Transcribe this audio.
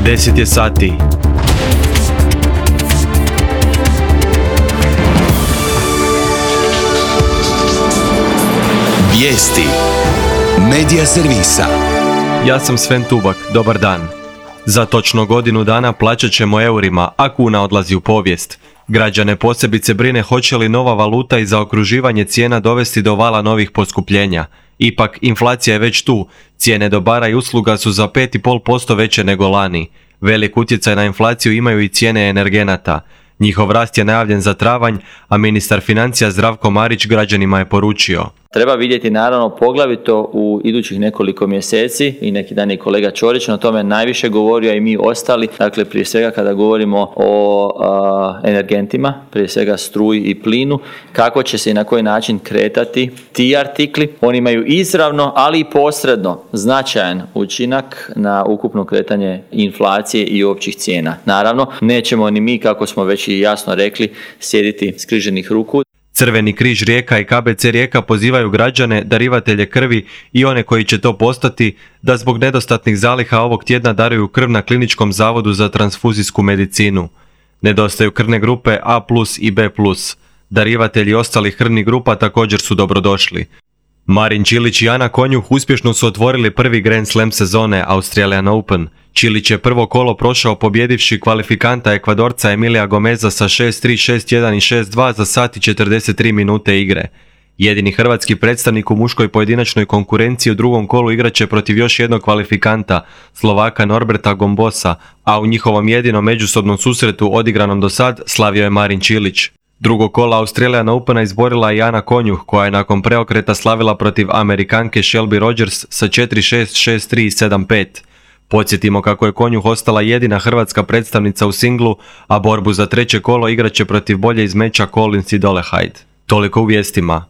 10 je sati. Vijesti Medija servisa. Ja sam Sven Tubak, dobar dan. Za točno godinu dana plaćat ćemo eurima, a kuna odlazi u povijest. Građane posebice brine hoće li nova valuta i zaokruživanje cijena dovesti do vala novih poskupljenja. Ipak, inflacija je već tu. Cijene dobara i usluga su za 5,5% veće nego lani. Velik utjecaj na inflaciju imaju i cijene energenata. Njihov rast je najavljen za travanj, a ministar financija Zdravko Marić građanima je poručio: treba vidjeti naravno poglavito u idućih nekoliko mjeseci, i neki dan je kolega Ćorić na tome najviše govorio, a i mi ostali, dakle prije svega kada govorimo o energentima, prije svega struji i plinu, kako će se i na koji način kretati ti artikli. Oni imaju izravno, ali i posredno značajan učinak na ukupno kretanje inflacije i općih cijena. Naravno, nećemo ni mi, kako smo već i jasno rekli, sjediti skriženih ruku. Crveni križ Rijeka i KBC Rijeka pozivaju građane, darivatelje krvi i one koji će to postati, da zbog nedostatnih zaliha ovog tjedna daruju krv na Kliničkom zavodu za transfuzijsku medicinu. Nedostaju krvne grupe A+ i B+. Darivatelji ostalih krvnih grupa također su dobrodošli. Marin Čilić i Ana Konjuh uspješno su otvorili prvi Grand Slam sezone Australian Open. Čilić je prvo kolo prošao pobjedivši kvalifikanta Ekvadorca Emilija Gomeza sa 6-3, 6-1 i 6-2 za sat i 43 minute igre. Jedini hrvatski predstavnik u muškoj pojedinačnoj konkurenciji u drugom kolu igraće protiv još jednog kvalifikanta, Slovaka Norberta Gombosa, a u njihovom jedinom međusobnom susretu odigranom do sad slavio je Marin Čilić. Drugo kola Australian Opena izborila i Ana Konjuh, koja je nakon preokreta slavila protiv Amerikanke Shelby Rogers sa 4-6, 6-3 i 7-5. Podsjetimo kako je Konjuh ostala jedina hrvatska predstavnica u singlu, a borbu za treće kolo igraće protiv bolje iz meča Collins i Dolehide. Toliko u vijestima.